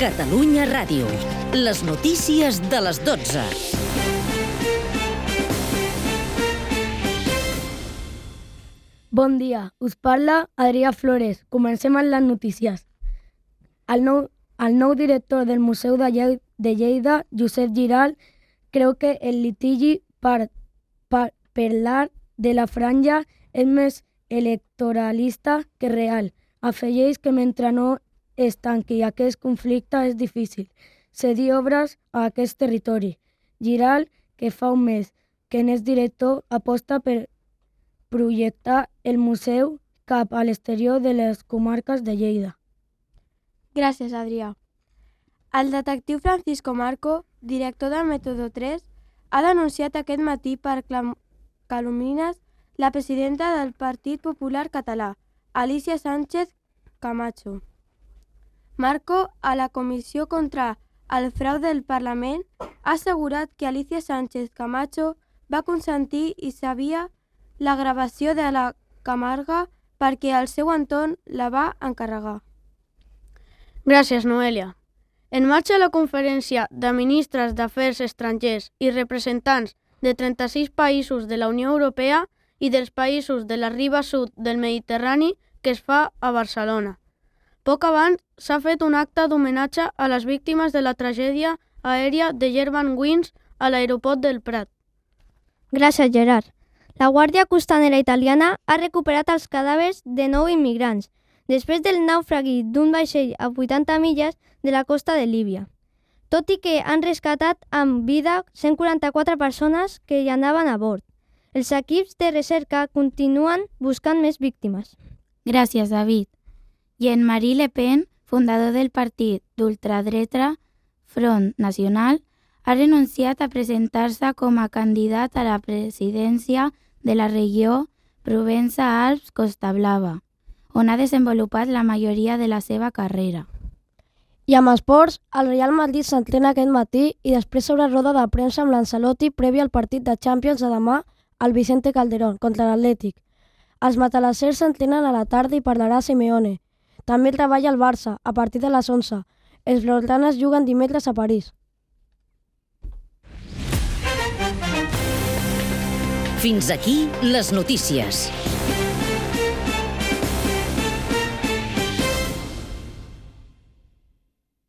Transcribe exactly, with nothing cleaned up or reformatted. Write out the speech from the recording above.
Catalunya Ràdio. Les notícies de les dotze. Bon dia, us parla Adrià Flores. Comencem amb les notícies. El nou, el nou director del Museu de, Lle de Lleida, Josep Giral, creu que el litigi per, per, per l'art de la franja és més electoralista que real. Afegeix que mentre no es tanqui aquest conflicte és difícil cedir obres a aquest territori. Giral, que fa un mes que n'és director, aposta per projectar el museu cap a l'exterior de les comarques de Lleida. Gràcies, Adrià. El detectiu Francisco Marco, director del Mètode tres, ha denunciat aquest matí per calúmnies la presidenta del Partit Popular Català, Alicia Sánchez Camacho. Marco, a la Comissió contra el Frau del Parlament, ha assegurat que Alicia Sánchez Camacho va consentir i sabia la gravació de la Camarga perquè el seu entorn la va encarregar. Gràcies, Noelia. En marxa la conferència de ministres d'Afers Estrangers i representants de trenta-sis països de la Unió Europea i dels països de la riba sud del Mediterrani que es fa a Barcelona. Poc abans s'ha fet un acte d'homenatge a les víctimes de la tragèdia aèria de Germanwings a l'aeroport del Prat. Gràcies, Gerard. La Guàrdia Costanera italiana ha recuperat els cadàvers de nou immigrants després del naufragi d'un vaixell a vuitanta milles de la costa de Líbia, tot i que han rescatat amb vida cent quaranta-quatre persones que hi anaven a bord. Els equips de recerca continuen buscant més víctimes. Gràcies, David. Jean-Marie Le Pen, fundador del partit d'ultradreta Front Nacional, ha renunciat a presentar-se com a candidat a la presidència de la regió Provença-Alps-Costa Blava, on ha desenvolupat la majoria de la seva carrera. I amb esports, el Real Madrid s'entrena aquest matí i després s'obre roda de premsa amb l'Ancelotti prèvia al partit de Champions de demà al Vicente Calderón contra l'Atlètic. Els matalassers s'entrenen a la tarda i parlarà Simeone. També treballa el Barça a partir de les onze. Els blaugranes juguen dimecres a París. Fins aquí les notícies.